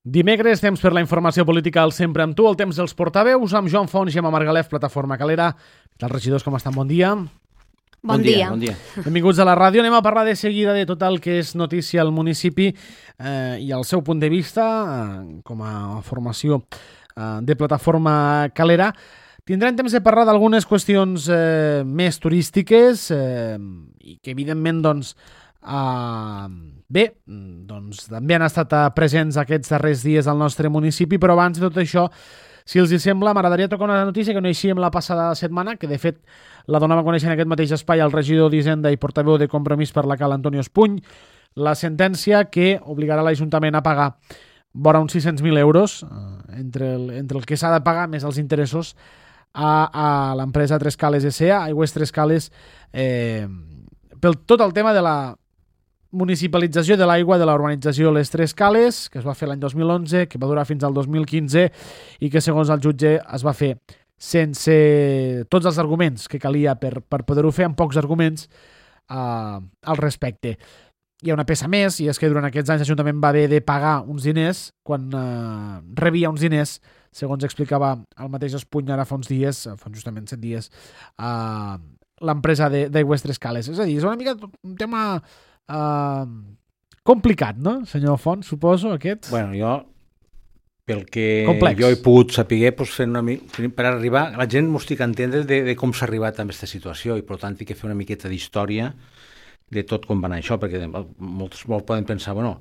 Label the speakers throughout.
Speaker 1: Dimecres, temps per la informació política al Sempre amb tu, el temps dels portaveus, amb Joan Font, Gemma Margalef, Plataforma Calera. Què tal, regidors, com estan? Bon dia.
Speaker 2: Bon dia.
Speaker 1: Benvinguts a la ràdio. Anem a parlar de seguida de tot el que és notícia al municipi i el seu punt de vista com a formació de Plataforma Calera. Tindrem temps de parlar d'algunes qüestions més turístiques i que, evidentment, també han estat presents aquests darrers dies al nostre municipi, però abans de tot això, si els hi sembla, m'agradaria tocar una notícia que coneixíem la passada setmana, que de fet la donava a conèixer en aquest mateix espai el regidor d'Hisenda i portaveu de Compromís per la Cal, Antonio Espuny, la sentència que obligarà l'Ajuntament a pagar vora uns 600.000 euros entre el que s'ha de pagar més els interessos a l'empresa Tres Cales S.A., Aigües Tres Cales, pel tot el tema de la municipalització de l'aigua de la urbanització Les Tres Cales, que es va fer l'any 2011, que va durar fins al 2015 i que, segons el jutge, es va fer sense tots els arguments que calia per poder-ho fer, amb pocs arguments al respecte. Hi ha una peça més, i és que durant aquests anys l'Ajuntament va haver de pagar uns diners quan rebia uns diners, segons explicava el mateix Espuny ara fa uns dies, fa justament 7 dies, l'empresa d'Aigües Tres Cales. És a dir, és una mica un tema complicat, no, senyor Font, suposo, aquest?
Speaker 3: Bueno, jo, pel que
Speaker 1: complex.
Speaker 3: Jo he pogut saber, per arribar, la gent m'ho estic a entendre de com s'ha arribat a aquesta situació i, per tant, he de fer una miqueta d'història de tot com va anar això, perquè molts poden pensar, bueno,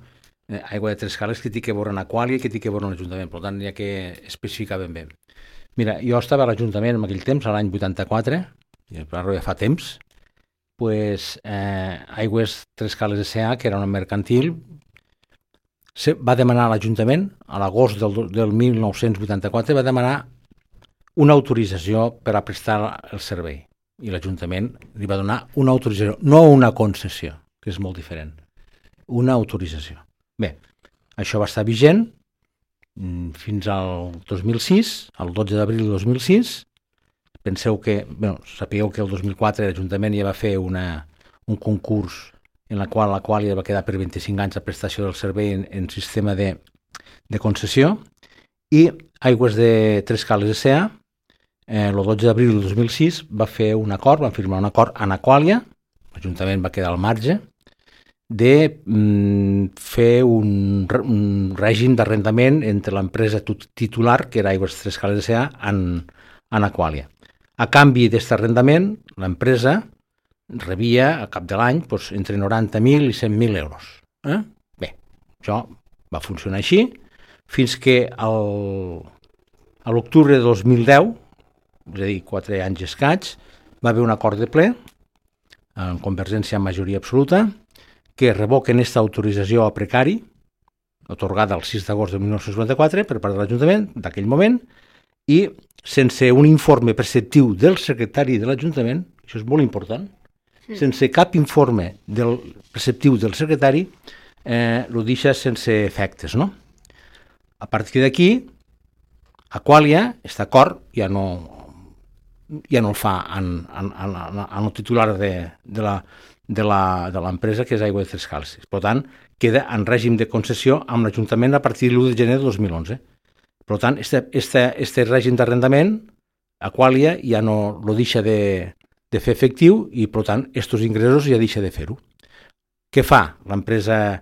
Speaker 3: Aigua de Tres Cales que té que veure en Aquàlia i que té que veure en l'Ajuntament, per tant, hi ha que especificar ben bé. Mira, jo estava a l'Ajuntament en aquell temps, a l'any 84, ja fa temps, pues, Aigües Tres Cales S.A., que era una mercantil, va demanar a l'Ajuntament, a l'agost del 1984, va demanar una autorització per a prestar el servei. I l'Ajuntament li va donar una autorització, no una concessió, que és molt diferent. Una autorització. Bé, això va estar vigent fins al 2006, el 12 d'abril del 2006. Penseu que, sapigueu que el 2004 l'Ajuntament ja va fer un concurs en la qual ja va quedar per 25 anys la prestació del servei en sistema de concessió, i Aigües de Tres Cales S.A., el 12 d'abril del 2006 van firmar un acord amb Aquàlia, l'Ajuntament va quedar al marge, de fer un règim d'arrendament entre l'empresa titular, que era Aigües Tres Cales S.A., en Aquàlia. A canvi d'aquest arrendament, l'empresa rebia a cap de l'any entre 90.000 i 100.000 euros. Bé, això va funcionar així, fins que a l'octubre de 2010, és a dir, 4 anys i escaig, va haver un acord de ple, en Convergència amb majoria absoluta, que revoquen aquesta autorització a precari, atorgada el 6 d'agost de 1994 per part de l'Ajuntament d'aquell moment, i sense un informe preceptiu del secretari de l'Ajuntament, això és molt important, sense cap informe preceptiu del secretari, ho deixa sense efectes, no? A partir d'aquí, Aquàlia, aquest acord ja no el fa en el titular de l'empresa, que és Aigua de Tres Cales. Per tant, queda en règim de concessió amb l'Ajuntament a partir de l'1 de gener de 2011. Per tant, aquest règim d'arrendament, Aquàlia ja no el deixa de fer efectiu i, per tant, aquests ingressos ja deixa de fer-ho. Què fa l'empresa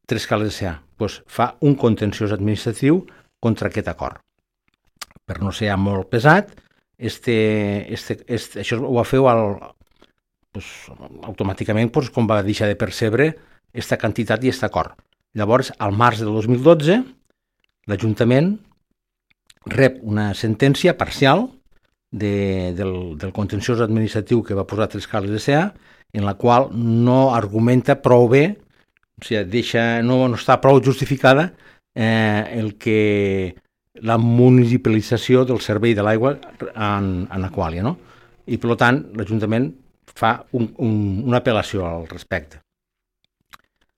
Speaker 3: Tres Cales S.A.? Pues fa un contenciós administratiu contra aquest acord. Per no ser molt pesat, això ho va fer automàticament quan va deixar de percebre aquesta quantitat i aquest acord. Llavors, al març del 2012, l'Ajuntament rep una sentència parcial del contenciós administratiu que va posar Tres Cales S.A., en la qual no argumenta prou bé, o sigui, no està prou justificada la municipalització del servei de l'aigua en Aquàlia, no? I, per tant, l'Ajuntament fa una apel·lació al respecte.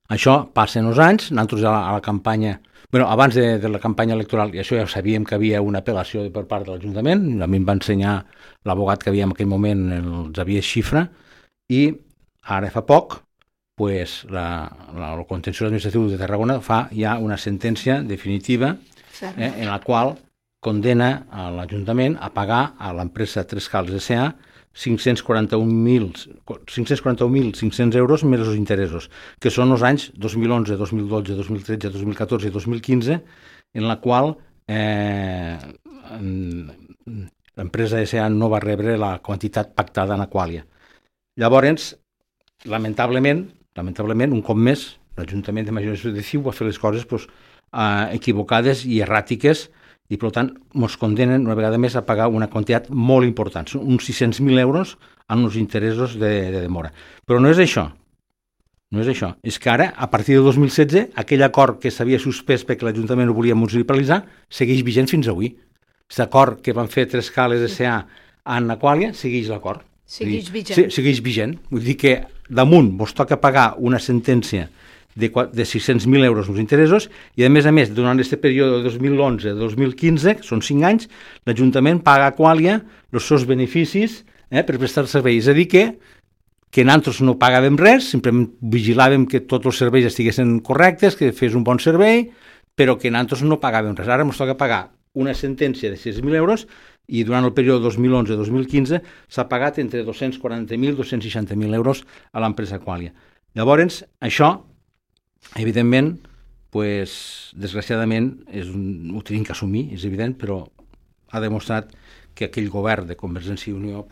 Speaker 3: Això passa en els anys, nosaltres a la campanya, abans de la campanya electoral, i això ja sabíem que havia una apel·lació per part de l'Ajuntament, a mi em va ensenyar l'abogat que havia en aquell moment, el Xavier Xifra, i ara fa poc pues, el contenciós administratiu de Tarragona fa ja una sentència definitiva en la qual condena a l'Ajuntament a pagar a l'empresa Trescales S.A. 541.500 euros més els interessos, que són els anys 2011, 2012, 2013, 2014 i 2015, en la qual l'empresa S.A. no va rebre la quantitat pactada en Aquàlia. Llavors, lamentablement, un cop més, l'Ajuntament de Majoració de Ciu va fer les coses equivocades i erràtiques i, per tant, ens condenen una vegada més a pagar una quantitat molt important, uns 600.000 euros en els interessos de demora. Però no és això. És que ara, a partir de 2016, aquell acord que s'havia suspès perquè l'Ajuntament ho volia municipalitzar segueix vigent fins avui. Aquest acord que van fer Trescales S.A. en Aquàlia segueix l'acord.
Speaker 2: Segueix vigent.
Speaker 3: Sí, segueix vigent. Vull dir que damunt vos toca pagar una sentència de 600.000 euros els interessos i, a més, durant aquest període de 2011-2015, que són 5 anys, l'Ajuntament paga a Aquàlia els seus beneficis per prestar serveis. És a dir, que nosaltres no pagàvem res, simplement vigilàvem que tots els serveis estiguessin correctes, que fes un bon servei, però que nosaltres no pagàvem res. Ara ens toca pagar una sentència de 6.000 euros i durant el període 2011-2015 s'ha pagat entre 240.000 i 260.000 euros a l'empresa Aquàlia. Llavors, això, evidentment, desgraciadament, ho tenim que assumir, és evident, però ha demostrat que aquell govern de Convergència i Unió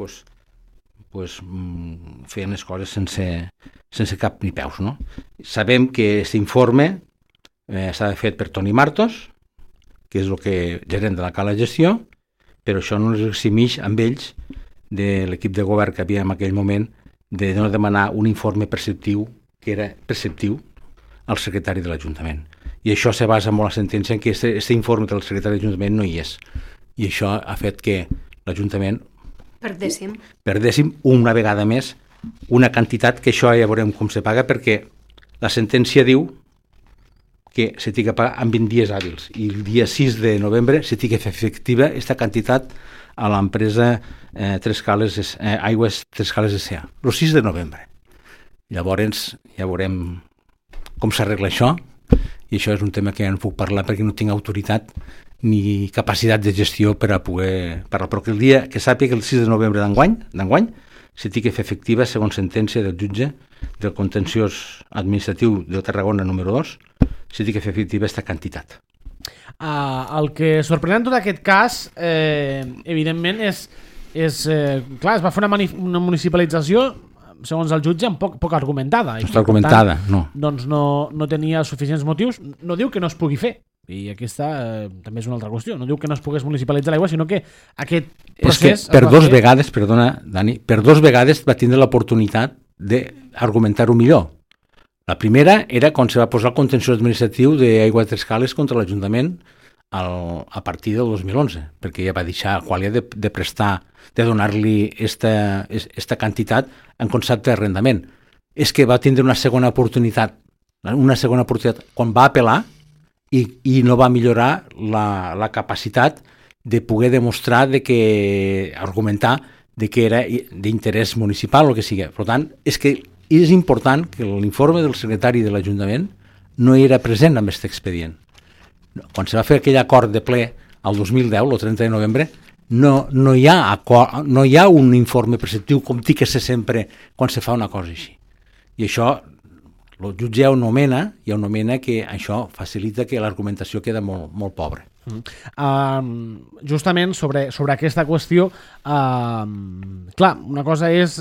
Speaker 3: feien les coses sense cap ni peus. No? Sabem que aquest informe s'ha fet per Toni Martos, que és el gerent de la Cala Gestió, però això no ens eximeix amb ells de l'equip de govern que havia en aquell moment de no demanar un informe preceptiu, que era preceptiu, al secretari de l'Ajuntament. I això se basa en la sentència en què aquest informe del secretari de l'Ajuntament no hi és. I això ha fet que l'Ajuntament perdéssim una vegada més una quantitat que això ja veurem com se paga, perquè la sentència diu que se té que pagar en 20 dies hàbils i el dia 6 de novembre se té que fer efectiva aquesta quantitat a l'empresa Aigües Trescales S.A. el 6 de novembre. Llavors ja veurem com s'arregla això, i això és un tema que ja no puc parlar perquè no tinc autoritat ni capacitat de gestió per a poder parlar, però que el dia que sàpiga que el 6 de novembre d'enguany se té que fer efectiva, segons sentència del jutge del contenciós administratiu de Tarragona número 2, se té que fer efectiva aquesta quantitat.
Speaker 1: El que sorprèn en tot aquest cas, evidentment, és clar, es va fer una municipalització segons el jutge, poc argumentada.
Speaker 3: No està argumentada,
Speaker 1: tant,
Speaker 3: no.
Speaker 1: Doncs no tenia suficients motius. No diu que no es pugui fer, i aquesta també és una altra qüestió. No diu que no es pogués municipalitzar l'aigua, sinó que aquest procés...
Speaker 3: És que per dos vegades, perdona, Dani, per dos vegades va tindre l'oportunitat d'argumentar-ho millor. La primera era quan se va posar el contenciós administratiu d'Aigua de Trescales contra l'Ajuntament a partir del 2011, perquè ja va deixar Aquàlia de prestar, de donar-li esta quantitat en concepte d'arrendament. És que va tindre una segona oportunitat quan va apel·lar i no va millorar la capacitat de poder demostrar argumentar que era d'interès municipal o el que sigui. Per tant, és que és important que l'informe del secretari de l'Ajuntament no era present en aquest expedient. Quan se va fer aquell acord de ple el 2010, el 30 de novembre, no hi ha un informe preceptiu com té que ser sempre quan se fa una cosa així. I això el jutge ja ho nomena que això facilita que l'argumentació queda molt, molt pobra.
Speaker 1: Justament sobre aquesta qüestió, clar, una cosa és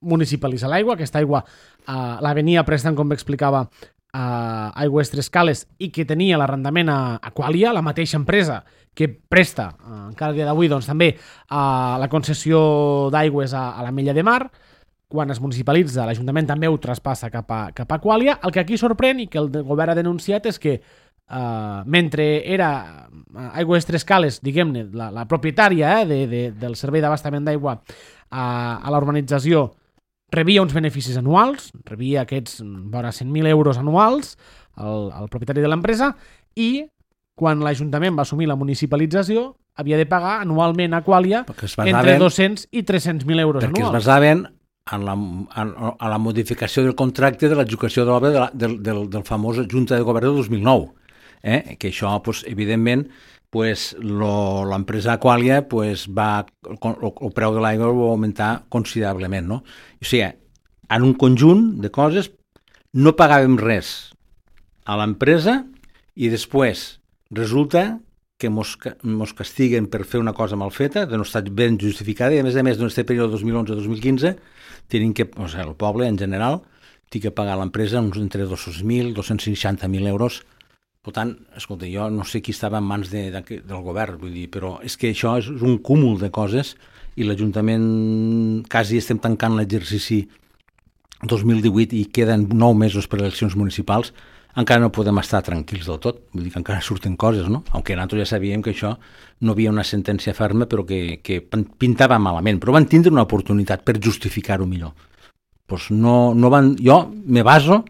Speaker 1: municipalitzar l'aigua. Aquesta aigua la venia prestant, com explicava, Aigües Trescales, i que tenia l'arrendament a Aquàlia, la mateixa empresa que presta encara el dia d'avui doncs, també la concessió d'aigües a l'Ametlla de Mar. Quan es municipalitza, l'Ajuntament també ho traspassa cap a Aquàlia. El que aquí sorprèn i que el govern ha denunciat és que mentre era Aigües Trescales, diguem-ne, la propietària del servei d'abastament d'aigua a la urbanització, rebia uns beneficis anuals, rebia aquests vora 100.000 euros anuals, el propietari de l'empresa, i quan l'Ajuntament va assumir la municipalització havia de pagar anualment a Aquàlia entre 200 i 300.000 euros anuals.
Speaker 3: Perquè es basaven a la modificació del contracte de l'adjudicació de l'obra del famós Junta de Govern del 2009. Que això, evidentment, l'empresa Aqualia el preu de l'aigua va augmentar considerablement. No? O sigui, en un conjunt de coses no pagàvem res a l'empresa i després resulta que mos castiguen per fer una cosa mal feta, de no estar ben justificada, i a més, en aquest període 2011-2015, el poble en general té que pagar a l'empresa uns entre 200.000 i 260.000 euros. Per tant, escolta, jo no sé qui estava en mans del govern, vull dir, però és que això és un cúmul de coses i l'Ajuntament quasi estem tancant l'exercici 2018 i queden 9 mesos per a eleccions municipals, encara no podem estar tranquils del tot, vull dir que encara surten coses, no? Aunque nosaltres ja sabíem que això no havia una sentència ferma, però que pintava malament, però van tindre una oportunitat per justificar-ho millor. Jo me baso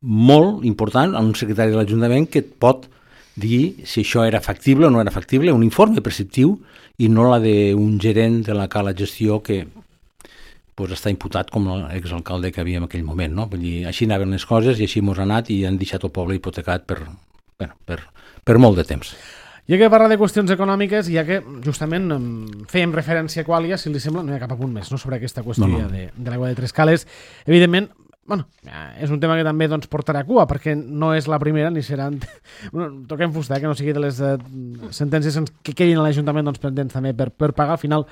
Speaker 3: molt important en un secretari de l'Ajuntament que et pot dir si això era factible o no era factible, un informe preceptiu i no la d'un gerent de la Cala Gestió que està imputat com l'exalcalde que havia en aquell moment, no? Vull dir, així anaven les coses i així mos ha anat i han deixat el poble hipotecat per molt de temps.
Speaker 1: Ja que parla de qüestions econòmiques, ja que justament fèiem referència a Aqualia, si li sembla, no hi ha cap apunt més sobre aquesta qüestió de l'aigua de Trescales. Evidentment, és un tema que també portarà cua, perquè no és la primera ni serà... Toquem fusta, que no sigui de les sentències que quedin a l'Ajuntament pendents també per pagar. Al final,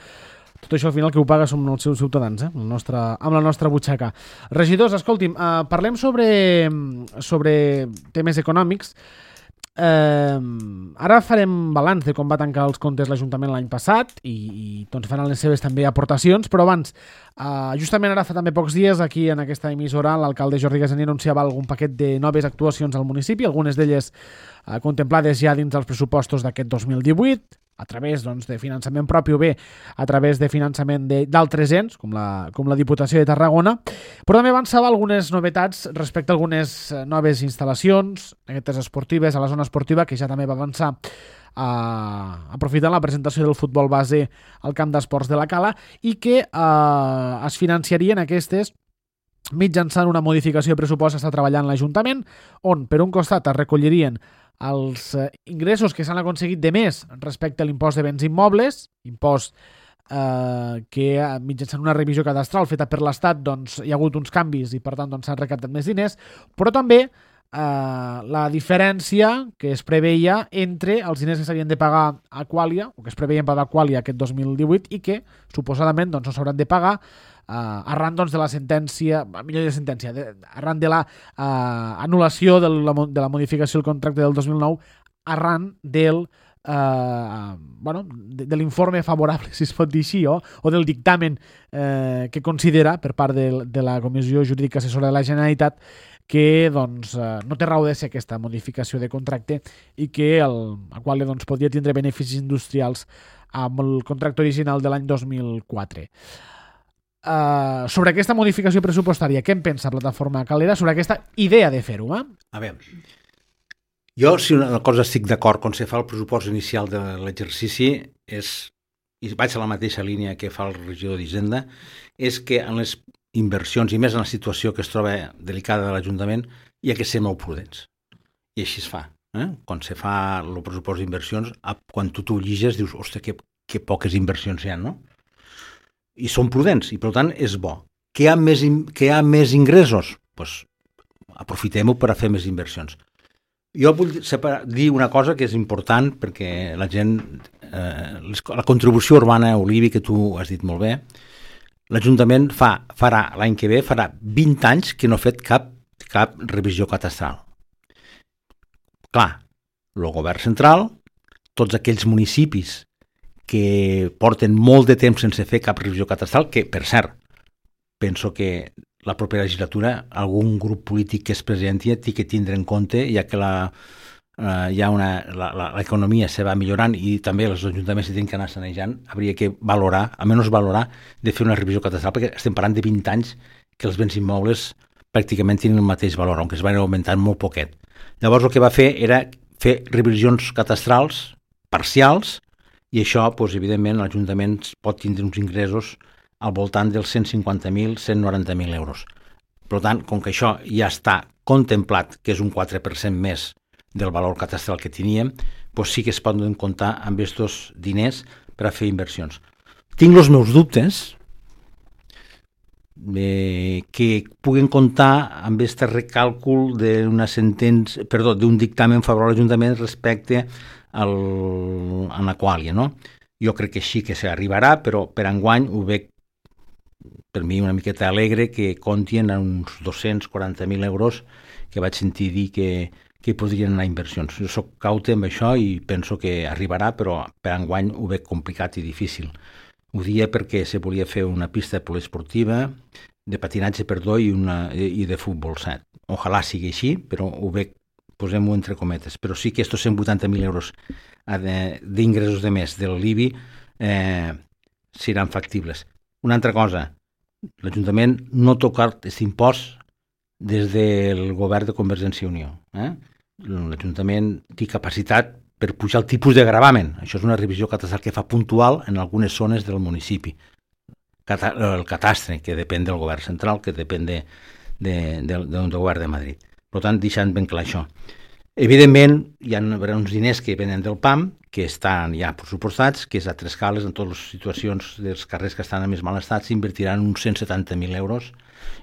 Speaker 1: tot això al final que ho paga som els seus ciutadans, amb la nostra butxaca. Regidors, escolti'm, parlem sobre temes econòmics. Ara farem balanç de com va tancar els comptes l'Ajuntament l'any passat i faran les seves també aportacions, però abans, justament ara fa també pocs dies, aquí en aquesta emissora, l'alcalde Jordi Gassaní anunciava algun paquet de noves actuacions al municipi, algunes d'elles contemplades ja dins dels pressupostos d'aquest 2018, a través de finançament propi o bé a través de finançament d'altres ens, com la Diputació de Tarragona, però també avançava algunes novetats respecte a algunes noves instal·lacions, aquestes esportives, a la zona esportiva, que ja també va avançar aprofitant la presentació del futbol base al camp d'esports de la Cala i que es financiarien aquestes mitjançant una modificació de pressupost que està treballant l'Ajuntament, on per un costat es recollirien els ingressos que s'han aconseguit de més respecte a l'impost de béns immobles, impost que mitjançant una revisió cadastral feta per l'Estat hi ha hagut uns canvis i per tant s'han recaptat més diners, però també la diferència que es preveia entre els diners que s'havien de pagar a Aqualia, o que es preveien pagar a Aqualia aquest 2018 i que suposadament no s'hauran de pagar arran de la sentència, arran de la anul·lació de la modificació del contracte del 2009, arran de l'informe favorable, si es pot dir així, o del dictamen que considera per part de la Comissió Jurídica Assessora de la Generalitat que no té raó de ser aquesta modificació de contracte i que a qual podria tindre beneficis industrials amb el contracte original de l'any 2004. Sobre aquesta modificació pressupostària, què en pensa Plataforma Calera sobre aquesta idea de fer-ho?
Speaker 3: A veure, jo si una cosa estic d'acord quan se fa el pressupost inicial de l'exercici i vaig a la mateixa línia que fa el regidor d'Hisenda, és que en les inversions i més en la situació que es troba delicada de l'Ajuntament hi ha que ser molt prudents. I així es fa. Quan se fa el pressupost d'inversions, quan tu t'ho lliges dius, ostres, que poques inversions hi ha, no? I són prudents, i per tant és bo. Que hi ha més ingressos? Doncs aprofitem-ho per a fer més inversions. Jo vull dir una cosa que és important perquè la gent, la contribució urbana Olivi, que tu has dit molt bé, l'Ajuntament farà l'any que ve, farà 20 anys que no ha fet cap revisió catastral. Clar, el govern central, tots aquells municipis que porten molt de temps sense fer cap revisió catastral, que, per cert, penso que la propera legislatura algun grup polític que es presenti té que tindre en compte, ja que l'economia se va millorant i també els ajuntaments tenen que anar sanejant, hauria que valorar, almenys valorar, de fer una revisió catastral, perquè estem parlant de 20 anys que els béns immobles pràcticament tenen el mateix valor, aunque es van augmentant molt poquet. Llavors el que va fer era fer revisions catastrals parcials i això, evidentment, l'Ajuntament pot tindre uns ingressos al voltant dels 150.000, 190.000 euros. Per tant, com que això ja està contemplat, que és un 4% més del valor catastral que teníem, doncs sí que es poden comptar amb aquests diners per a fer inversions. Tinc els meus dubtes que puguen comptar amb aquest recàlcul d'un dictamen favorable a l'Ajuntament respecte a l'Aquàlia, no? Jo crec que sí que s'arribarà, però per enguany ho veig per mi una miqueta alegre que comptin a uns 240.000 euros que vaig sentir dir que podrien anar a inversions. Jo soc caute amb això i penso que arribarà, però per enguany ho veig complicat i difícil. Ho dia perquè se volia fer una pista poliesportiva, de patinatge, i de futbol 7. Ojalà sigui així, però ho veig, posem-ho entre cometes. Però sí que aquests 180.000 euros d'ingressos de més del l'IBI seran factibles. Una altra cosa, l'Ajuntament no toca aquest impost des del govern de Convergència i Unió. L'Ajuntament té capacitat per pujar el tipus de gravamen. Això és una revisió catastral que fa puntual en algunes zones del municipi. El catastre, que depèn del govern central, que depèn del govern de Madrid. Per tant, deixant ben clar això. Evidentment, hi ha uns diners que venen del PAM, que estan ja pressupostats, que és a Trescales, en totes les situacions dels carrers que estan en més mal estat, s'invertiran uns 170.000 euros,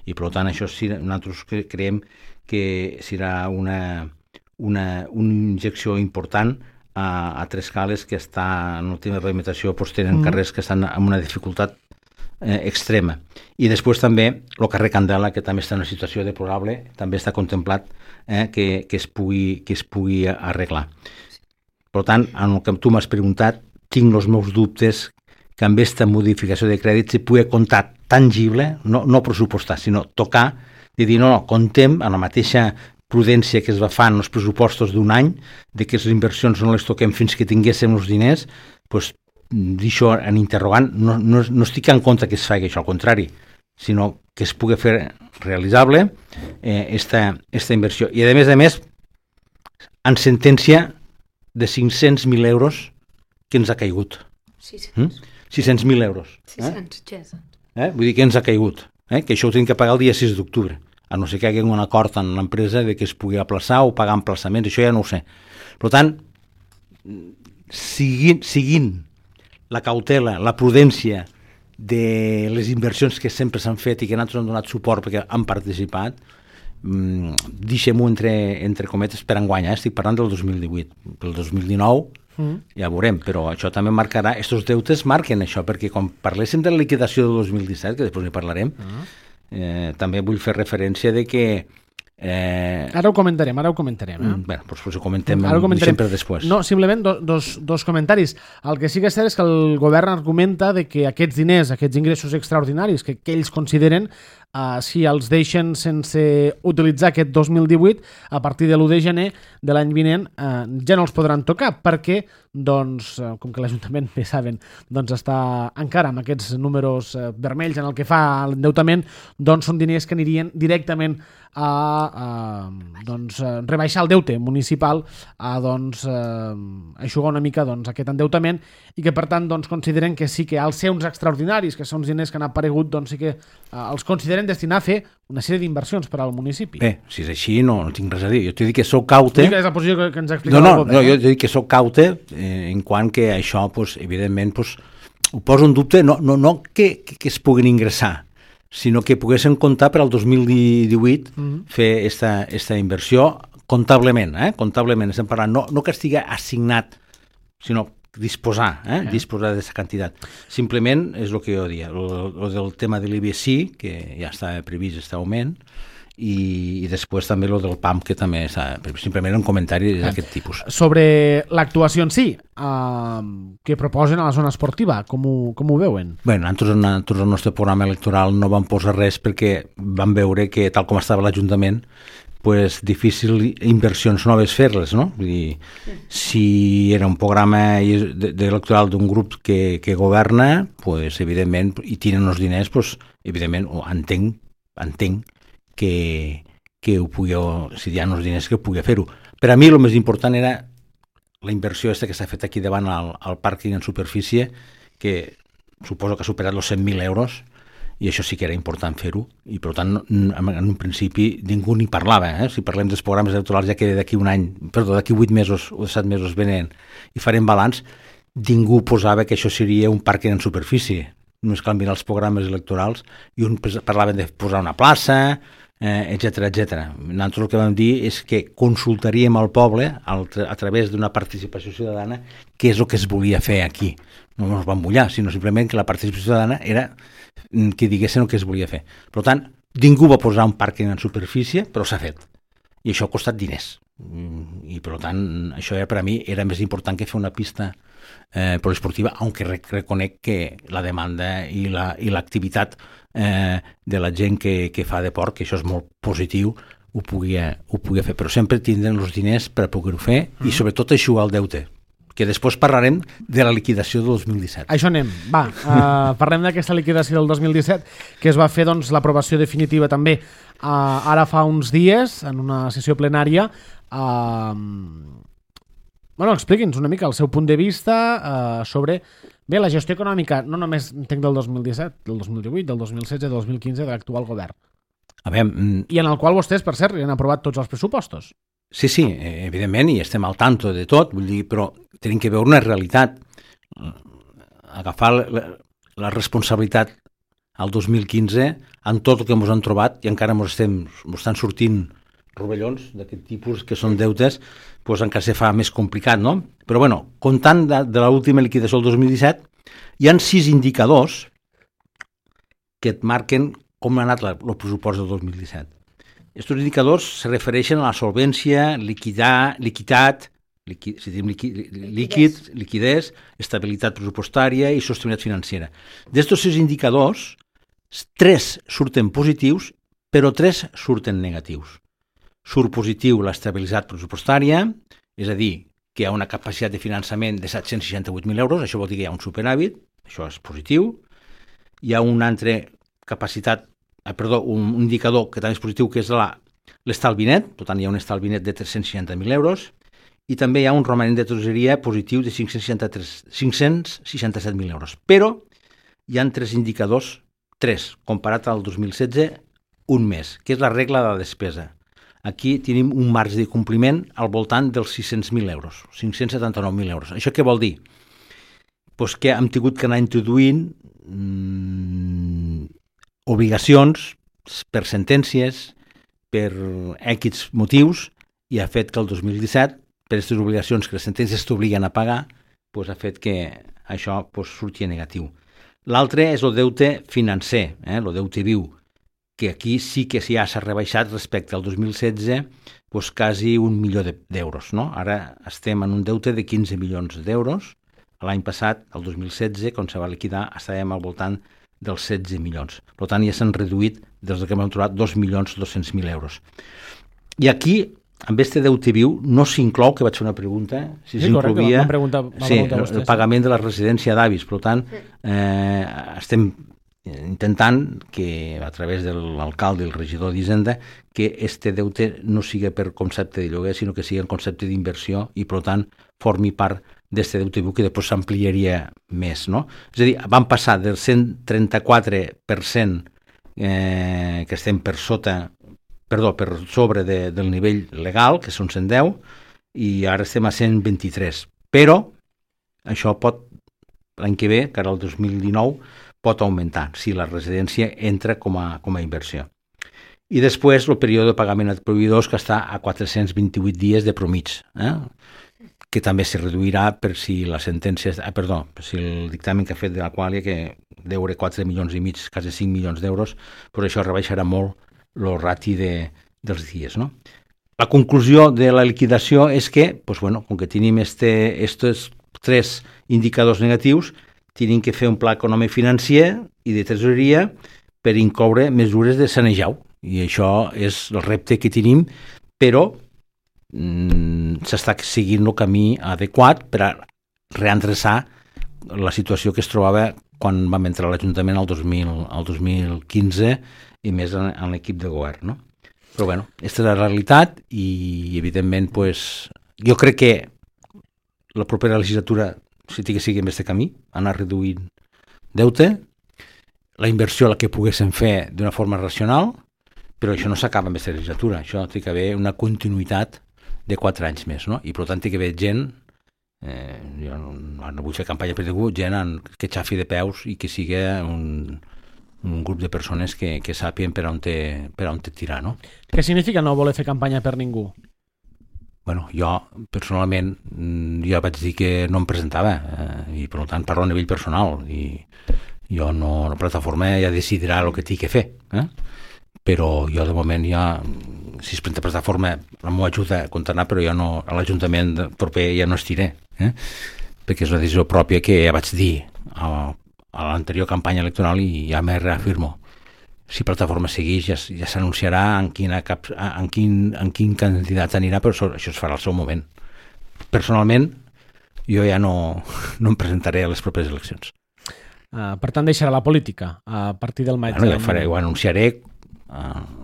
Speaker 3: i per tant això nosaltres creiem que serà una injecció important a Trescales, que està en l'última rehabilitació, tenen carrers que estan en una dificultat extrema. I després també el carrer Candela, que també està en una situació deplorable, també està contemplat que es pugui arreglar. Per tant, en el que tu m'has preguntat, tinc els meus dubtes que amb aquesta modificació de crèdit se pugui comptar tangible, no pressupostar, sinó tocar, i dir, no, contem amb la mateixa prudència que es va fer en els pressupostos d'un any, de que les inversions no les toquem fins que tinguéssim els diners, doncs d'això en interrogant, no estic en compte que es faci això, al contrari, sinó que es pugui fer realitzable esta inversió. I a més, en sentència de 500.000 euros que ens ha caigut. 600.000 euros.
Speaker 2: 600.
Speaker 3: Vull dir que ens ha caigut, que això ho tenim que pagar el dia 6 d'octubre, a no ser que hi hagi un acord en l'empresa de que es pugui aplaçar o pagar emplaçaments, això ja no ho sé. Per tant, seguint la cautela, la prudència de les inversions que sempre s'han fet i que nosaltres hem donat suport perquè han participat, deixem-ho entre cometes per enguany, estic parlant del 2018. Pel 2019 ja veurem, però això també marcarà, aquests deutes marquen això, perquè quan parléssim de la liquidació del 2017, que després n'hi parlarem, també vull fer referència de que
Speaker 1: Ara ho comentarem.
Speaker 3: Bé, doncs ho comentem sempre després.
Speaker 1: No, simplement dos comentaris. El que sí que és cert és que el govern argumenta de que aquests diners, aquests ingressos extraordinaris que ells consideren, si els deixen sense utilitzar aquest 2018, a partir de l'1 de gener de l'any vinent ja no els podran tocar, perquè, doncs, com que l'Ajuntament, bé saben, doncs està encara amb aquests números vermells en el que fa l'endeutament, doncs són diners que anirien directament a rebaixar el deute municipal, a aixugar una mica aquest endeutament, i que per tant consideren que sí que als ser uns extraordinaris, que són uns diners que han aparegut, doncs sí que els consideren destinar a fer una sèrie d'inversions per al municipi.
Speaker 3: Bé, si és així no tinc res a dir. Jo t'he dit que sóc caute.
Speaker 1: És la posició que ens ha explicat el govern.
Speaker 3: No, jo t'he dit que sóc caute en quant que això, evidentment, ho poso en dubte, no que es puguin ingressar, sinó que poguessin comptar per al 2018 fer esta inversió comptablement, estem parlant, no que estigui assignat, sinó disposar d'aquesta quantitat. Simplement és el que jo dia, el del tema de l'IBI sí, que ja està previst aquest augment, i després també el del PAM, que també està previst. Simplement un comentari d'aquest tipus.
Speaker 1: Sobre l'actuació en si, que proposen a la zona esportiva, com ho veuen?
Speaker 3: Bé, nosaltres el nostre programa electoral no vam posar res perquè vam veure que, tal com estava l'Ajuntament, difícil inversions noves fer-les, no? Vull dir, si era un programa electoral d'un grup que governa, evidentment, i tenen els diners, evidentment, entenc que ho pugui, si hi ha els diners, que pugui fer-ho. Per a mi el més important era la inversió que s'ha fet aquí davant al pàrquing en superfície, que suposo que ha superat els 100.000 euros, i això sí que era important fer-ho, i per tant en un principi ningú ni parlava, si parlem dels programes electorals ja que d'aquí 8 mesos o 7 mesos venen i farem balanç, ningú posava que això seria un pàrquing en superfície, només cal mirar els programes electorals i un parlaven de posar una plaça, etc etc. Nosaltres el que vam dir és que consultaríem al poble a través d'una participació ciutadana què és el que es volia fer aquí. No ens vam mullar, sinó simplement que la participació ciutadana era que diguessin el que es volia fer. Per tant, ningú va posar un pàrquing en superfície, però s'ha fet. I això ha costat diners. I per tant, això per a mi era més important que fer una pista poliesportiva, aunque reconec que la demanda i l'activitat de la gent que fa deport, que això és molt positiu, ho pugui fer, però sempre tindrem els diners per poder-ho fer i sobretot eixugar el deute, que després parlarem de la liquidació del 2017.
Speaker 1: Això anem. Va, parlem d'aquesta liquidació del 2017, que es va fer l'aprovació definitiva també ara fa uns dies, en una sessió plenària. Expliqui'ns una mica el seu punt de vista sobre la gestió econòmica, no només entenc del 2017, del 2018, del 2016, del 2015, de l'actual govern. I en el qual vostès, per cert, han aprovat tots els pressupostos.
Speaker 3: Sí, evidentment, i estem al tanto de tot, vull dir, però tenim que veure una realitat. Agafar la responsabilitat al 2015 en tot el que ens han trobat i encara ens estan sortint rovellons d'aquest tipus que són deutes, doncs encara se fa més complicat, no? Però bueno, comptant de l'última liquidació del 2017, hi ha 6 indicadors que et marquen com ha anat el pressupost del 2017. Aquests indicadors se refereixen a la solvència, liquiditat, liquidez, estabilitat pressupostària i sostenibilitat financera. D'estos 6 indicadors, 3 surten positius, però 3 surten negatius. Surt positiu l'estabilitat pressupostària, és a dir, que hi ha una capacitat de finançament de 768.000 euros, això vol dir que hi ha un superàvit, això és positiu. Hi ha una altra un indicador que també és positiu, que és l'estalvi net, per tant hi ha un estalvi net de 360.000 euros, i també hi ha un romanent de tresoreria positiu de 567.000 euros. Però hi ha 3 indicadors, 3, comparat al 2016, un més, que és la regla de la despesa. Aquí tenim un marge de compliment al voltant dels 600.000 euros, 579.000 euros. Això què vol dir? Pues que hem tingut que anar introduint obligacions per sentències, per X motius, i ha fet que el 2017, per aquestes obligacions que les sentències t'obliguen a pagar, pues ha fet que això surti negatiu. L'altre és el deute financer, el deute viu, que aquí sí que ja s'ha rebaixat respecte al 2016 quasi 1 milió d'euros. No? Ara estem en un deute de 15 milions d'euros. L'any passat, el 2016, quan se va liquidar, estàvem al voltant dels 16 milions. Per tant, ja s'han reduït, des que hem trobat, 2.200.000 euros. I aquí, amb aquest deute viu, no s'inclou, que vaig fer una pregunta, si s'incloïa el pagament de la residència d'avis. Per tant, estem intentant que a través de l'alcalde i el regidor d'Hisenda que este deute no sigui per concepte de lloguer, sinó que sigui en concepte d'inversió i per tant formi part d'aquest deute viu que després s'ampliaria més, no? És a dir, vam passar del 134% que estem per sobre del nivell legal, que són 110, i ara estem a 123. Però això pot, l'any que ve, que ara el 2019, pot augmentar si la residència entra com a inversió. I després el període de pagament a proveïdors, que està a 428 dies de promig, que també se reduirà per si la sentència, per si el dictamen que ha fet de la Quàlia, que deure 4 milions i mig, quasi 5 milions d'euros, però això rebaixarà molt el rati dels dies. No? La conclusió de la liquidació és que, com que tenim estos 3 indicadors negatius, tenim que fer un pla econòmic financer i de tresoreria per incloure mesures de sanejau. I això és el repte que tenim, però s'està seguint el camí adequat per a reendreçar la situació que es trobava quan vam entrar a l'Ajuntament el 2015 i més en l'equip de govern. No? Però aquesta és la realitat i evidentment jo crec que la propera legislatura si sigui en aquest camí, anar reduint deute, la inversió la que poguessin fer d'una forma racional, però això no s'acaba amb aquesta legislatura, això té que haver una continuïtat de 4 anys més, no? I per tant té que haver gent, jo no vull fer campanya per ningú, gent que xafi de peus i que sigui un grup de persones que sàpien per on te tirar, no?
Speaker 1: Què significa no voler fer campanya per ningú?
Speaker 3: Bueno, jo, personalment, jo vaig dir que no em presentava i per tant parlo a nivell personal i jo no, la plataforma ja decidirà el que tingui que fer, però jo de moment ja, si es presenta plataforma, la meva ajuda a comptar, però jo no, a l'Ajuntament proper ja no estiré, perquè és una decisió pròpia que ja vaig dir a l'anterior campanya electoral i ja me reafirmo. Si plataforma segueix ja s'anunciarà en quin candidat anirà, però això es farà al seu moment. Personalment, jo ja no em presentaré a les properes eleccions.
Speaker 1: Per tant, deixarà la política a partir del maig.
Speaker 3: Bueno, ho anunciaré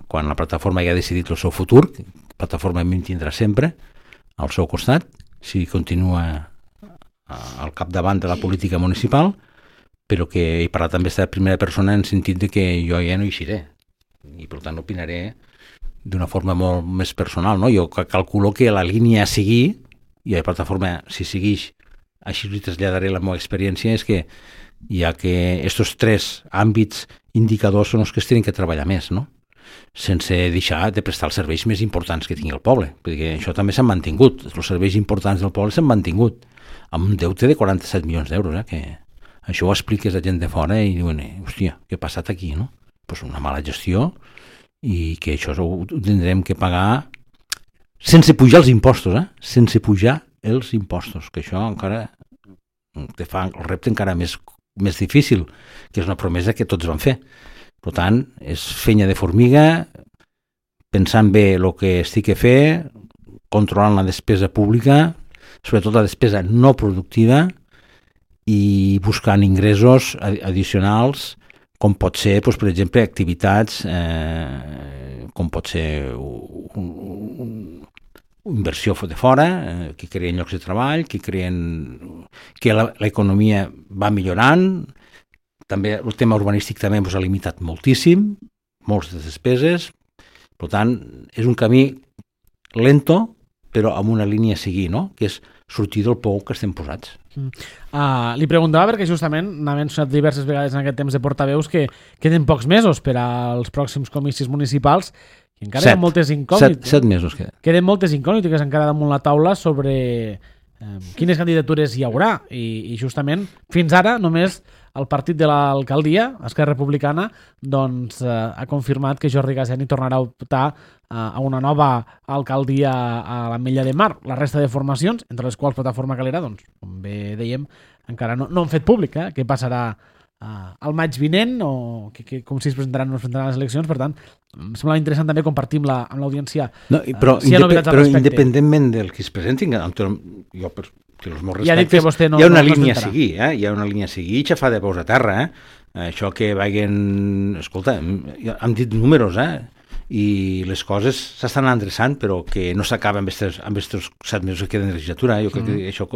Speaker 3: quan la plataforma ja ha decidit el seu futur. La plataforma em tindrà sempre al seu costat, si continua al capdavant de la política municipal, però que he parlat amb aquesta primera persona en sentit de que jo ja no hi seré i per tant opinaré d'una forma molt més personal, no? Jo calculo que la línia a seguir, i la plataforma si segueix, així li traslladaré la meva experiència, és que ja que aquests 3 àmbits indicadors són els que es tenen que treballar més, no? Sense deixar de prestar els serveis més importants que tingui el poble, perquè això també s'han mantingut, els serveis importants del poble s'han mantingut, amb un deute de 47 milions d'euros, que això ho expliques a gent de fora i diuen, hòstia, què ha passat aquí, no? Pues una mala gestió i que això ho tindrem que pagar sense pujar els impostos, sense pujar els impostos, que això encara te fa el repte encara més difícil, que és una promesa que tots van fer. Per tant, és feina de formiga, pensant bé el que estic a fer, controlant la despesa pública, sobretot la despesa no productiva, i buscant ingressos addicionals, com pot ser, doncs, per exemple, activitats, com pot ser inversió de fora, que creen llocs de treball, que l'economia va millorant. També el tema urbanístic també ens ha limitat moltíssim, moltes despeses. Per tant, és un camí lento, però amb una línia a seguir, no? Que és sortir del pou que estem posats.
Speaker 1: Li preguntava perquè justament n'ha mencionat diverses vegades en aquest temps de portaveus que queden pocs mesos per als pròxims comicis municipals i encara hi ha moltes incògnites.
Speaker 3: 7 mesos queden.
Speaker 1: Queden moltes incògnites encara damunt la taula sobre quines candidatures hi haurà i justament fins ara només el partit de l'alcaldia, Esquerra Republicana, doncs ha confirmat que Jordi Gaseni tornarà a optar a una nova alcaldia a l'Ametlla de Mar. La resta de formacions, entre les quals Plataforma Calera, doncs, com bé dèiem, encara no han fet públic què passarà al maig vinent o com si es presentaran o no es presentaran les eleccions. Per tant, em sembla interessant també compartir amb l'audiència
Speaker 3: però
Speaker 1: si hi ha novetats al respecte.
Speaker 3: Independentment del que es presentin, jo per els meus
Speaker 1: ja
Speaker 3: respectes, hi ha una línia a seguir, hi ha una línia a seguir i xafar de peus a terra, això que vagin, escolta, hem dit números, i les coses s'estan endreçant, però que no s'acaba amb aquests 7 mesos que queden de legislatura. Jo crec que això,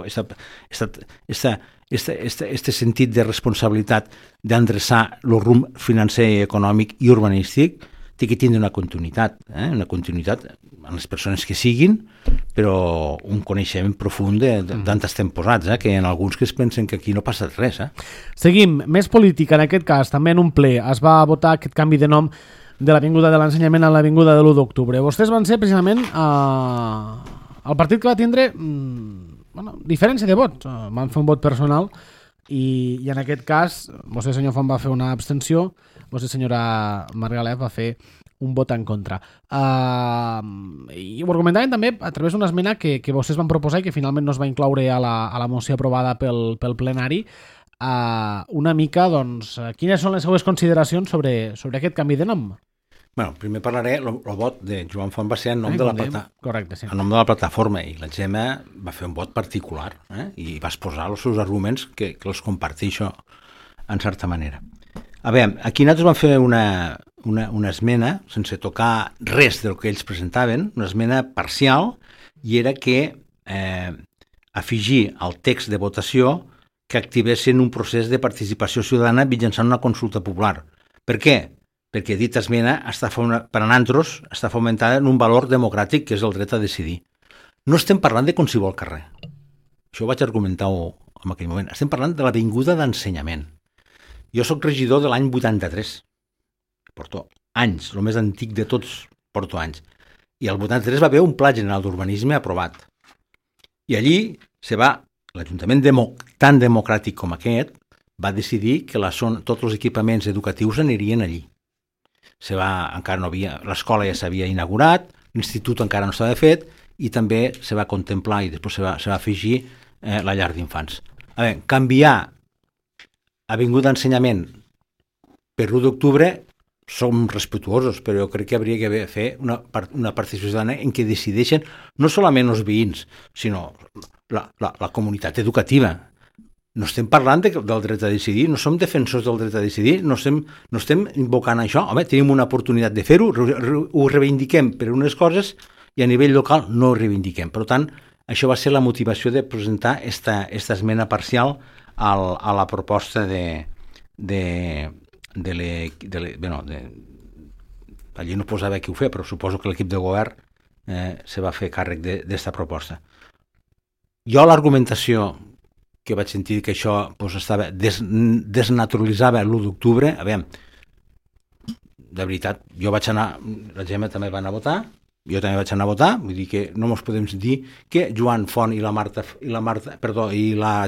Speaker 3: este sentit de responsabilitat d'endreçar el rumb financer, econòmic i urbanístic té que tindre una continuïtat en les persones que siguin, però un coneixement profund d'on estem posats, que hi ha alguns que es pensen que aquí no ha passat res.
Speaker 1: Seguim, més política, en aquest cas, també en un ple es va votar aquest canvi de nom de l'Avinguda de l'Ensenyament a l'Avinguda de l'1 d'octubre. Vostès van ser precisament el partit que va tindre diferència de vots. Van fer un vot personal i en aquest cas vostè, senyor Font, va fer una abstenció, vostè, senyora Margalef, va fer un vot en contra. I ho argumentaven també a través d'una esmena que vostès van proposar i que finalment no es va incloure a la moció aprovada pel plenari, una mica, doncs, quines són les seues consideracions sobre aquest canvi de nom?
Speaker 3: Bueno, primer parlaré, el vot de Joan Font va ser en nom de la plataforma i la Gemma va fer un vot particular i va exposar els seus arguments que els comparteixo en certa manera. A veure, aquí nosaltres vam fer una esmena sense tocar res del que ells presentaven, una esmena parcial, i era que afegir al text de votació que activessin un procés de participació ciutadana mitjançant una consulta popular. Per què? Perquè dita esmena per a nosaltres està fomentada en un valor democràtic que és el dret a decidir. No estem parlant de qualsevol carrer. Això ho vaig argumentar en aquell moment. Estem parlant de l'Avinguda d'Ensenyament. Jo sóc regidor de l'any 83. Porto anys, el més antic de tots porto anys. I el 83 va haver un pla general d'urbanisme aprovat. I allí l'Ajuntament tan democràtic com aquest va decidir que tots els equipaments educatius anirien allí. Encara no havia, l'escola ja s'havia inaugurat, l'institut encara no estava fet i també se va contemplar i després se va afegir la llar d'infants. A veure, canviar Avinguda d'Ensenyament per l'1 d'octubre som respetuosos, però jo crec que hauria de fer una participació ciutadana en què decideixen no solament els veïns, sinó la comunitat educativa. No estem parlant del dret a decidir, no som defensors del dret a decidir, no estem invocant això. Home, tenim una oportunitat de fer-ho, ho reivindiquem per unes coses i a nivell local no ho reivindiquem. Per tant, això va ser la motivació de presentar esta esmena parcial a la proposta allí no posava qui ho fer, però suposo que l'equip de govern se va fer càrrec d'esta proposta. Jo l'argumentació que vaig sentir que això desnaturalitzava l'1 d'octubre, a veure, de veritat, jo vaig anar, la Gemma també va anar a votar, jo també vaig anar a votar, vull dir que no ens podem dir que Joan Font i la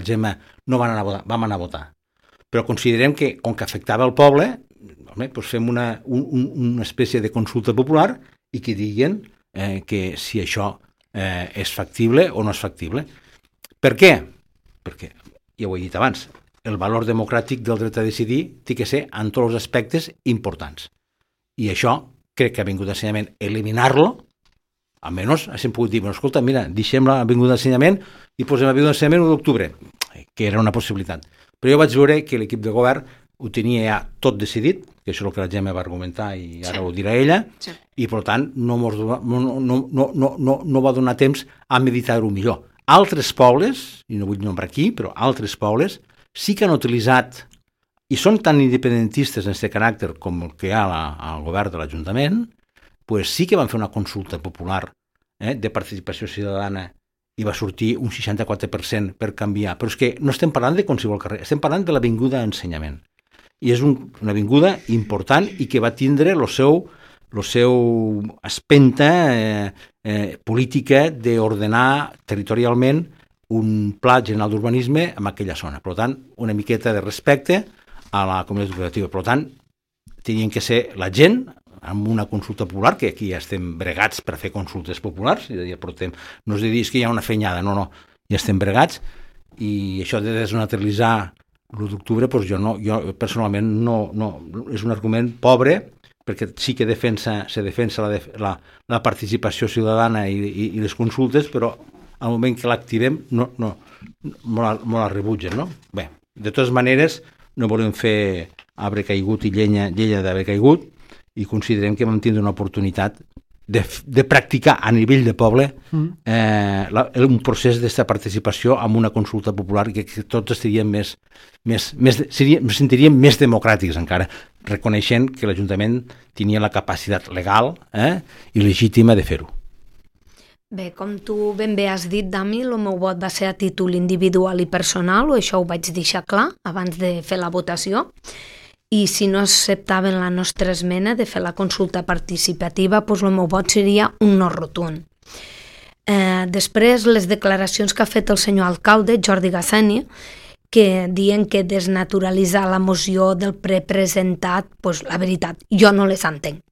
Speaker 3: Gemma no van anar a votar, vam anar a votar. Però considerem que, com que afectava el poble, doncs fem una espècie de consulta popular i que diguin que si això és factible o no és factible. Per què? Perquè, ja ho he dit abans, el valor democràtic del dret a decidir té que ser en tots els aspectes importants. I això crec que ha vingut d'ensenyament eliminar-lo, almenys hem pogut dir, escolta, mira, deixem l'Avinguda d'Ensenyament i posem l'Avinguda d'Ensenyament l'1 d'octubre, que era una possibilitat. Però jo vaig veure que l'equip de govern ho tenia ja tot decidit, que això és el que la Gemma va argumentar i ara ho dirà ella, i per tant no va donar temps a meditar-ho millor. Altres pobles, i no vull nombrar aquí, però altres pobles sí que han utilitzat, i són tan independentistes en aquest caràcter com el que hi ha al govern de l'Ajuntament, doncs sí que van fer una consulta popular de participació ciutadana i va sortir un 64% per canviar. Però és que no estem parlant de qualsevol carrer, estem parlant de l'Avinguda d'Ensenyament. I és una avinguda important i que va tindre el seu espenta política d'ordenar territorialment un pla general d'urbanisme en aquella zona. Per tant, una miqueta de respecte a la comunitat educativa. Per tant, tenien que ser la gent amb una consulta popular, que aquí ja estem bregats per fer consultes populars, no és de dir que hi ha una fenyada, no, ja estem bregats, i això de desnaturalitzar l'1 d'octubre, doncs jo personalment no, és un argument pobre, perquè sí que se defensa la participació ciutadana i les consultes, però al moment que l'activem molt la rebutgen, no? Bé, de totes maneres, no volem fer arbre caigut i llenya d'arbre caigut, i considerem que vam tindre una oportunitat de practicar a nivell de poble un procés d'aquesta participació amb una consulta popular que tots estaríem sentiríem més democràtics encara, reconeixent que l'Ajuntament tenia la capacitat legal i legítima de fer-ho.
Speaker 2: Bé, com tu ben bé has dit, Dami, el meu vot va ser a títol individual i personal, això ho vaig deixar clar abans de fer la votació, i si no acceptaven la nostra esmena de fer la consulta participativa, doncs el meu vot seria un no rotund. Després, les declaracions que ha fet el senyor alcalde, Jordi Gassani, que diuen que desnaturalitzar la moció del prepresentat, doncs la veritat, jo no les entenc.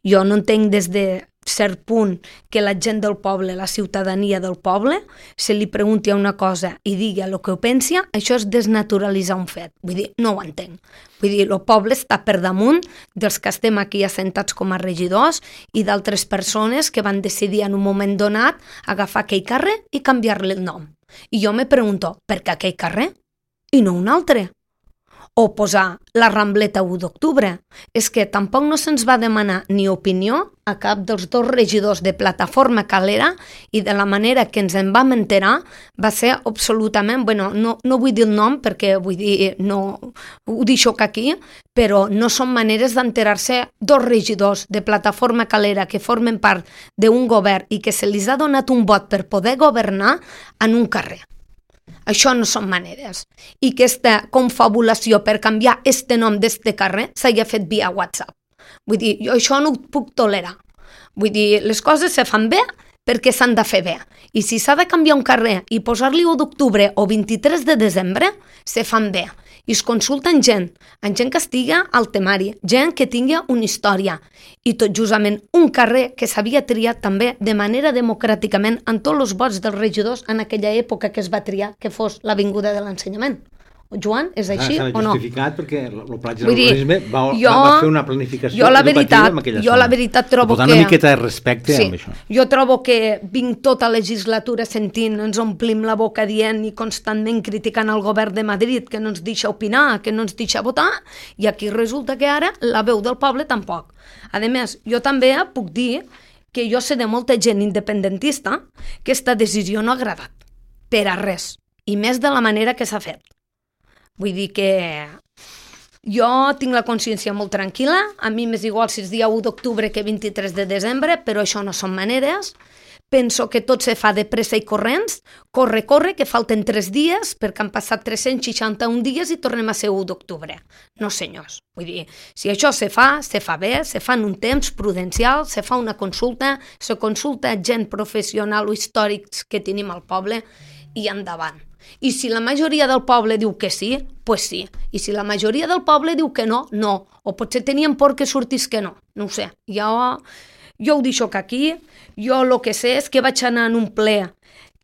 Speaker 2: Jo no entenc des de cert punt que la gent del poble, la ciutadania del poble, se li pregunti una cosa i digui el que ho pensi, això és desnaturalitzar un fet. Vull dir, no ho entenc. Vull dir, el poble està per damunt dels que estem aquí assentats com a regidors i d'altres persones que van decidir en un moment donat agafar aquell carrer i canviar-li el nom. I jo me pregunto, per què aquell carrer i no un altre? o posar la Rambleta 1 d'octubre. És que tampoc no se'ns va demanar ni opinió a cap dels dos regidors de Plataforma Calera i de la manera que ens en vam enterar va ser absolutament, no vull dir el nom perquè vull dir, no ho deixo aquí, però no són maneres d'enterar-se dos regidors de Plataforma Calera que formen part d'un govern i que se li ha donat un vot per poder governar en un carrer. Això no són maneres. I que aquesta confabulació per canviar este nom d'este carrer s'hagi fet via WhatsApp. Vull dir, jo això no ho puc tolerar. Vull dir, les coses se fan bé perquè s'han de fer bé. I si s'ha de canviar un carrer i posar-li 1 d'octubre o 23 de desembre, se fan bé. I es consulten gent que estigui al temari, gent que tingui una història. I tot justament un carrer que s'havia triat també de manera democràticament en tots els vots dels regidors en aquella època que es va triar que fos l'Avinguda de l'Ensenyament. Joan, és així o no?
Speaker 3: S'ha justificat perquè el Pla General d'Urbanisme va fer una planificació
Speaker 2: educativa en aquella zona. Jo la veritat trobo que...
Speaker 3: Per tant, una miqueta de respecte amb això.
Speaker 2: Jo trobo que vinc tota legislatura sentint, ens omplim la boca dient i constantment criticant el govern de Madrid que no ens deixa opinar, que no ens deixa votar, i aquí resulta que ara la veu del poble tampoc. A més, jo també puc dir que jo sé de molta gent independentista que aquesta decisió no ha agradat, per a res, i més de la manera que s'ha fet. Vull dir que jo tinc la consciència molt tranquil·la, a mi m'és igual si és dia 1 d'octubre que 23 de desembre, però això no són maneres. Penso que tot se fa de pressa i corrents, corre, que falten 3 dies, perquè han passat 361 dies i tornem a ser 1 d'octubre. No, senyors. Vull dir, si això se fa bé, se fa en un temps prudencial, se fa una consulta, se consulta gent professional o històrics que tenim al poble i endavant. I si la majoria del poble diu que sí, pues sí. I si la majoria del poble diu que no, no. O potser tenien por que sortís que no. No ho sé. Jo ho deixo aquí. Jo el que sé és que vaig anar en un ple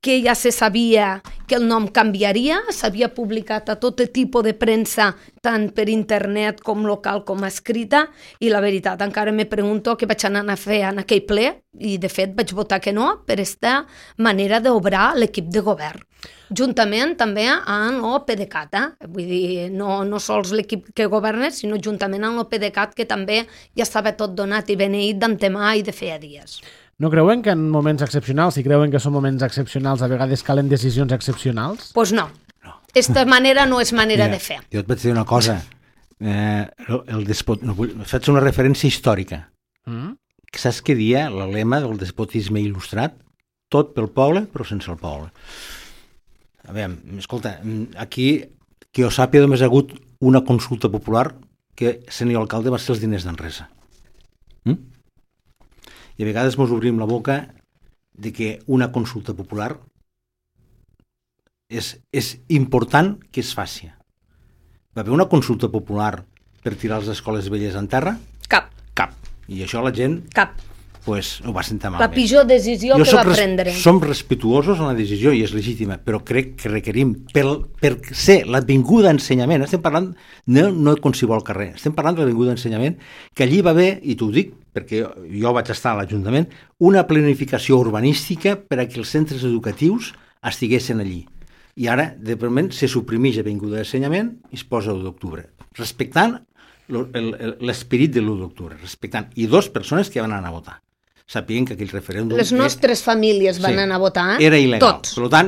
Speaker 2: que ja se sabia que el nom canviaria, s'havia publicat a tot tipus de premsa, tant per internet com local com escrita, i la veritat, encara me pregunto què vaig anar a fer en aquell ple, i de fet vaig votar que no, per aquesta manera d'obrar l'equip de govern. Juntament també amb el PDeCAT, vull dir, no sols l'equip que governa, sinó juntament amb el PDeCAT, que també ja estava tot donat i beneït d'antemà i de feia dies.
Speaker 1: No creuen que en moments excepcionals, si creuen que són moments excepcionals, a vegades calen decisions excepcionals?
Speaker 2: Doncs no. Aquesta manera no és manera de fer.
Speaker 3: Jo et vaig dir una cosa. Faig una referència històrica. Saps què dia el lema del despotisme il·lustrat? Tot pel poble, però sense el poble. A veure, escolta, aquí, que jo sàpiga, només ha hagut una consulta popular que senyor alcalde va ser els diners d'Enresa. I a vegades ens obrim la boca de que una consulta popular és important que es faci. Va haver una consulta popular per tirar les escoles velles en terra?
Speaker 2: Cap.
Speaker 3: I això la gent pues, ho va sentir malament.
Speaker 2: La pitjor decisió que va prendre.
Speaker 3: Som respetuosos en la decisió i és legítima, però crec que requerim, per ser l'Avinguda d'Ensenyament, estem parlant no de qualsevol carrer, estem parlant de l'Avinguda d'Ensenyament, que allí va haver, i t'ho dic perquè jo vaig estar a l'Ajuntament, una planificació urbanística per a que els centres educatius estiguessin allí. I ara, de moment, se suprimeix l'Avinguda d'Ensenyament i es posa l'1 d'octubre, respectant l'esperit de l'1 d'octubre, respectant. I 2 persones que van anar a votar. Sapien que aquell referèndum...
Speaker 2: Les nostres famílies van anar a votar,
Speaker 3: era il·legal.
Speaker 2: Tots.
Speaker 3: Per tant,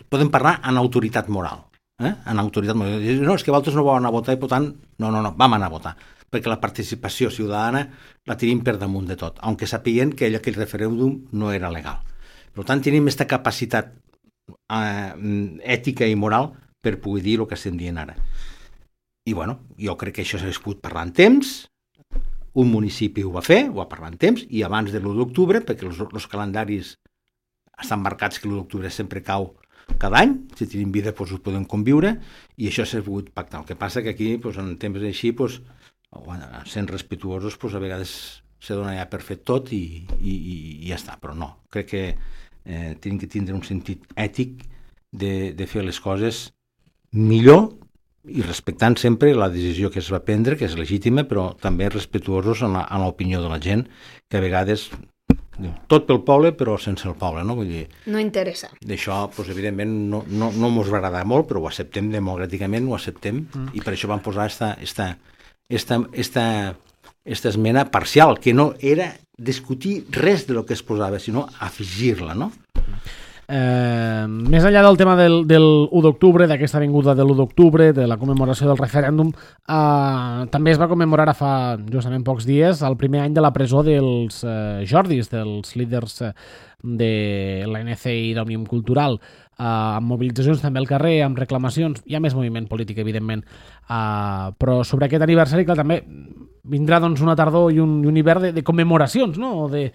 Speaker 3: podem parlar en autoritat moral. En autoritat moral. No, és que vosaltres no vau anar a votar i per tant, no, vam anar a votar. Perquè la participació ciutadana la tenim per damunt de tot, aunque sapien que aquell referèndum no era legal. Per tant, tenim aquesta capacitat ètica i moral per poder dir el que estem dient ara. I bueno, jo crec que això s'ha pogut parlar en temps, un municipi ho va fer, ho va parlar en temps, i abans de l'1 d'octubre, perquè els calendaris estan marcats que l'1 d'octubre sempre cau cada any, si tenim vida doncs ho podem conviure, i això s'ha pogut pactar. El que passa que aquí, en temps així, sent respetuosos, a vegades se dona ja per fet tot i ja està, però no. Crec que tenim que tindre un sentit ètic de fer les coses millor i respectant sempre la decisió que es va prendre, que és legítima, però també respetuosos en l'opinió de la gent, que a vegades Tot pel poble, però sense el poble, no? Vull dir,
Speaker 2: No interessa.
Speaker 3: d'això, doncs, evidentment, no mos va agradar molt, però ho acceptem democràticament, ho acceptem, i per això vam posar esta esmena parcial, que no era discutir res de lo que es posava, sinó afegir-la, no?
Speaker 1: Més enllà del tema del 1 d'octubre, d'aquesta avinguda de l'1 d'octubre, de la commemoració del referèndum, també es va commemorar fa justament pocs dies el primer any de la presó dels Jordis, dels líders de l'ANC i d'Òmnium Cultural, amb mobilitzacions també al carrer, amb reclamacions. Hi ha més moviment polític, evidentment, però sobre aquest aniversari, clar, també vindrà doncs, una tardor i un hivern de commemoracions, no? o de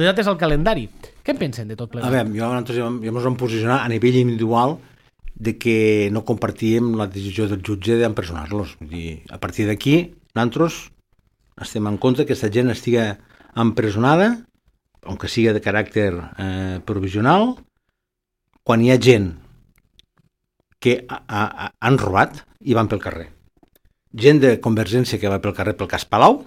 Speaker 1: dates al calendari. Què en pensen de tot plegat?
Speaker 3: A veure, nosaltres ja ens vam posicionar a nivell individual de que no compartíem la decisió del jutge d'empresonar-los. Vull dir, a partir d'aquí, nosaltres estem en contra que aquesta gent estigui empresonada, aunque sigui de caràcter provisional, quan hi ha gent que han robat i van pel carrer. Gent de Convergència que va pel carrer pel cas Palau,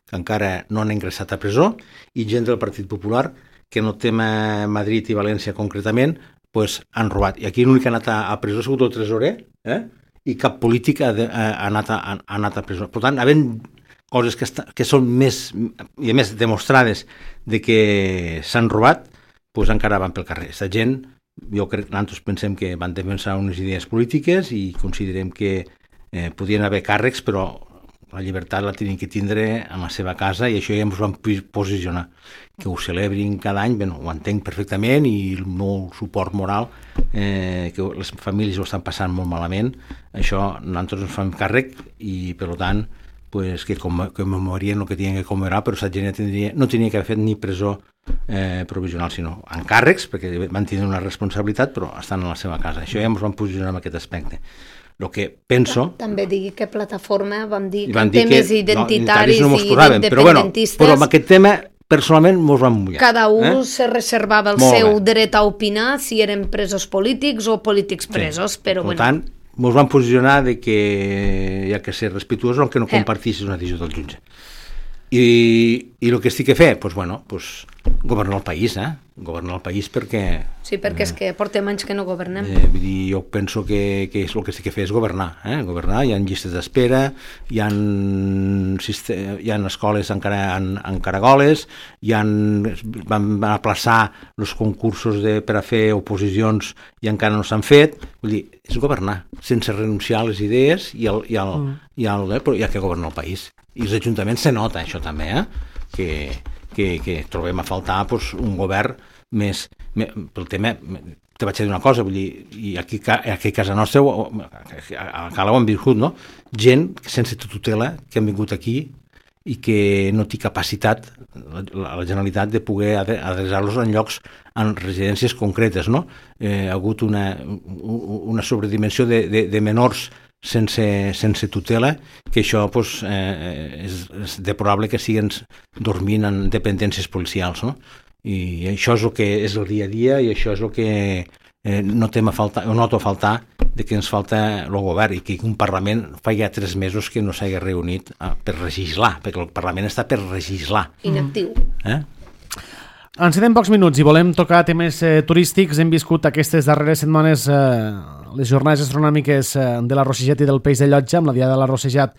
Speaker 3: que encara no han ingressat a presó, i gent del Partit Popular que no tema Madrid i València concretament, pues, han robat. I aquí l'únic que ha anat a presó ha sigut el tresorer, i cap polític ha anat a presó. Per tant, havent coses que són més, i a més demostrades de que s'han robat, pues, encara van pel carrer. Aquesta gent, jo crec que nosaltres pensem que van defensar unes idees polítiques i considerem que podien haver càrrecs, però la llibertat la tenien que tindre en la seva casa i això ja ens vam posicionar. Que ho celebrin cada any, ho entenc perfectament i el meu suport moral, que les famílies ho estan passant molt malament, això nosaltres ens fem càrrec i per tant pues, que commemorien el que tenien que commemorar, però aquesta gent no tenia que haver fet ni presó provisional, sinó encàrrecs, perquè van tenir una responsabilitat, però estan a la seva casa. Això ja ens vam posicionar en aquest aspecte. El que penso...
Speaker 2: També digui que plataforma vam dir que en temes identitaris i independentistes...
Speaker 3: Però amb aquest tema, personalment, mos vam mullar.
Speaker 2: Cada un se reservava el seu dret a opinar si eren presos polítics o polítics presos, però
Speaker 3: bueno... Per tant, mos vam posicionar de que hi ha que ser respectuosos aunque no compartissis una decisió del jutge. I el que estic a fer? Doncs, bueno, governar el país, governar el país perquè...
Speaker 2: Sí, perquè és que portem anys que no governem.
Speaker 3: Vull dir, jo penso que el que estic a fer és governar. Governar, hi ha llistes d'espera, hi ha escoles encara en caragoles, van aplaçar els concursos per a fer oposicions i encara no s'han fet. Vull dir, és governar, sense renunciar a les idees però hi ha que governar el país. I els ajuntaments se nota això també, que trobem a faltar un govern més pel tema. Te vaig dir una cosa, vull dir, i aquí a casa nostra a Cala ho hem viscut, no? Gent sense tutela que han vingut aquí i que no té capacitat la Generalitat de poder adreçar-los en llocs, en residències concretes, no? Ha hagut una sobredimensió de menors sense tutela, que això és deplorable que siguin dormint en dependències policials, no? I això és el que és el dia a dia i això és el que noto a faltar de que ens falta el govern i que un Parlament fa ja 3 mesos que no s'hagi reunit per legislar, perquè el Parlament està per legislar.
Speaker 2: Inactiu.
Speaker 1: Ens queden pocs minuts i volem tocar temes turístics. Hem viscut aquestes darreres setmanes les jornades astronòmiques de la Rossejat i del Peix de Llotja, amb la Diada de la Rossejat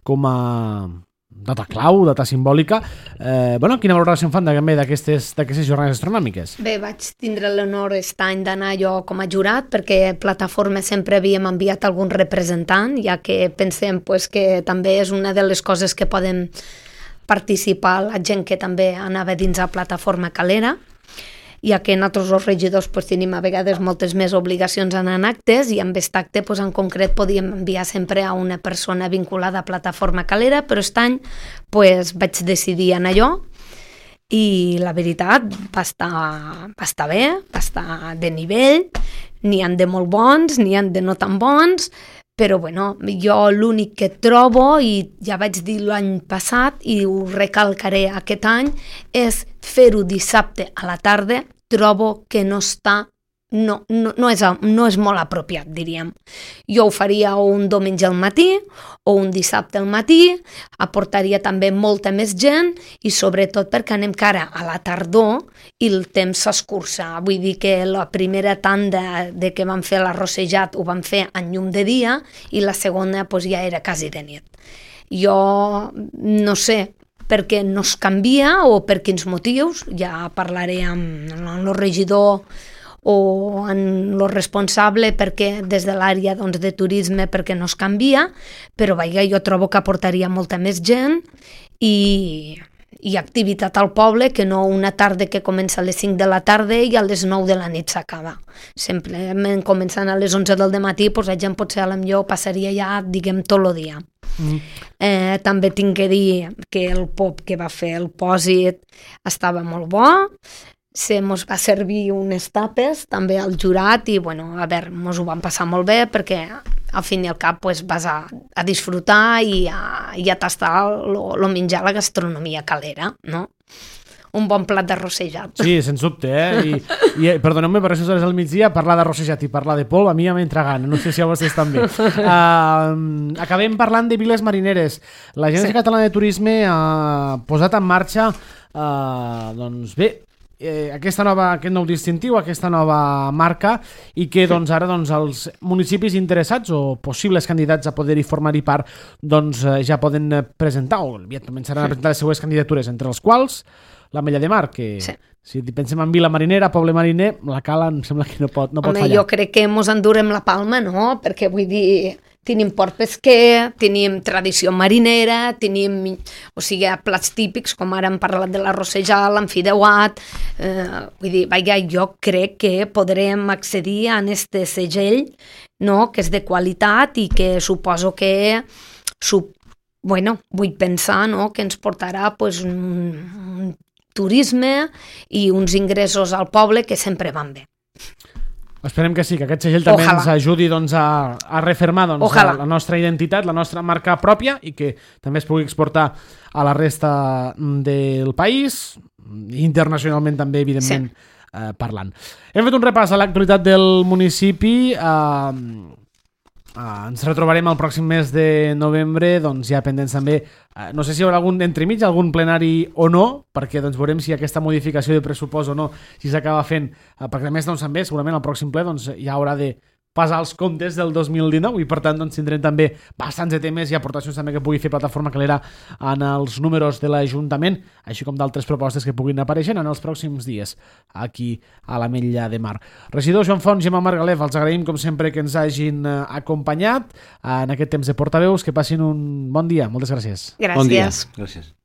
Speaker 1: com a data clau, data simbòlica. Quina valoració en fan també d'aquestes jornades astronòmiques?
Speaker 2: Bé, vaig tindre l'honor aquest any d'anar jo com a jurat, perquè Plataforma sempre havíem enviat algun representant, ja que pensem que també és una de les coses que poden participar la gent que també anava dins a Plataforma Calera, ja que nosaltres els regidors tenim a vegades moltes més obligacions en actes i amb aquest acte en concret podíem enviar sempre a una persona vinculada a Plataforma Calera, però aquest any vaig decidir anar jo i la veritat va estar bé, va estar de nivell, n'hi han de molt bons, n'hi han de no tan bons, però jo l'únic que trobo, i ja vaig dir l'any passat i ho recalcaré aquest any, és fer-ho dissabte a la tarda. Trobo que no està no és molt apropiat, diríem. Jo ho faria o un diumenge al matí o un dissabte al matí, aportaria també molta més gent i sobretot perquè anem cara a la tardor i el temps s'escurça. Vull dir que la primera tanda de que vam fer l'arrossejat ho vam fer en llum de dia i la segona doncs, ja era quasi de nit. Jo no sé per què no es canvia o per quins motius, ja parlaré amb el regidor o en lo responsable perquè des de l'àrea doncs, de turisme perquè no es canvia, però vaja, jo trobo que aportaria molta més gent i activitat al poble que no una tarda que comença a les 5 de la tarda i a les 9 de la nit s'acaba. Simplement començant a les 11 del matí, doncs la gent potser potser passaria ja, diguem, tot el dia. També tinc que dir que el pop que va fer el Pòsit estava molt bo, mos va servir unes tapes també al jurat i bueno, a veure, mos ho vam passar molt bé perquè al fin i al cap pues, vas a disfrutar i a tastar lo menjar, la gastronomia calera, no? Un bon plat d'arrossejat.
Speaker 1: Sí, sens dubte, I perdoneu-me per aquestes hores al migdia, parlar d'arrossejat i parlar de polvo a mi ja m'entra gana, no sé si a vostès també. Acabem parlant de viles marineres. L'Agència Catalana de Turisme ha posat en marxa doncs bé, aquest nou distintiu, aquesta nova marca i que doncs, ara doncs, els municipis interessats o possibles candidats a poder-hi formar-hi part doncs, ja poden presentar o aviat començaran a presentar les seues candidatures, entre els quals l'Ametlla de Mar, que si pensem en vila marinera, poble mariner, la Cala em sembla que no pot fallar.
Speaker 2: Jo crec que mos endurem la palma, no? Perquè vull dir, tenim port pesquer, tenim tradició marinera, tenim, plats típics, com ara hem parlat de l'arrossejat, l'enfideuat, vull dir, jo crec que podrem accedir a aquest segell, no?, que és de qualitat i que suposo que vull pensar, no?, que ens portarà pues, un turisme i uns ingressos al poble que sempre van bé.
Speaker 1: Esperem que sí, que aquest segell també ens ajudi doncs, a refermar doncs, la nostra identitat, la nostra marca pròpia i que també es pugui exportar a la resta del país, internacionalment també, evidentment, parlant. Hem fet un repàs a l'actualitat del municipi. Ens retrobarem el pròxim mes de novembre, doncs ja pendents també, no sé si hi haurà algun entremig, algun plenari o no, perquè doncs veurem si aquesta modificació de pressupost o no, si s'acaba fent, perquè a més doncs també segurament el pròxim ple doncs, ja haurà de passar els comptes del 2019 i per tant doncs, tindrem també bastants de temes i aportacions també que pugui fer Plataforma Calera en els números de l'Ajuntament, així com d'altres propostes que puguin aparèixer en els pròxims dies aquí a l'Ametlla de Mar. Regidor Joan Font, Gemma Margalef, els agraïm com sempre que ens hagin acompanyat en aquest temps de portaveus. Que passin un bon dia. Moltes gràcies.
Speaker 2: Gràcies.
Speaker 3: Bon dia. Gràcies.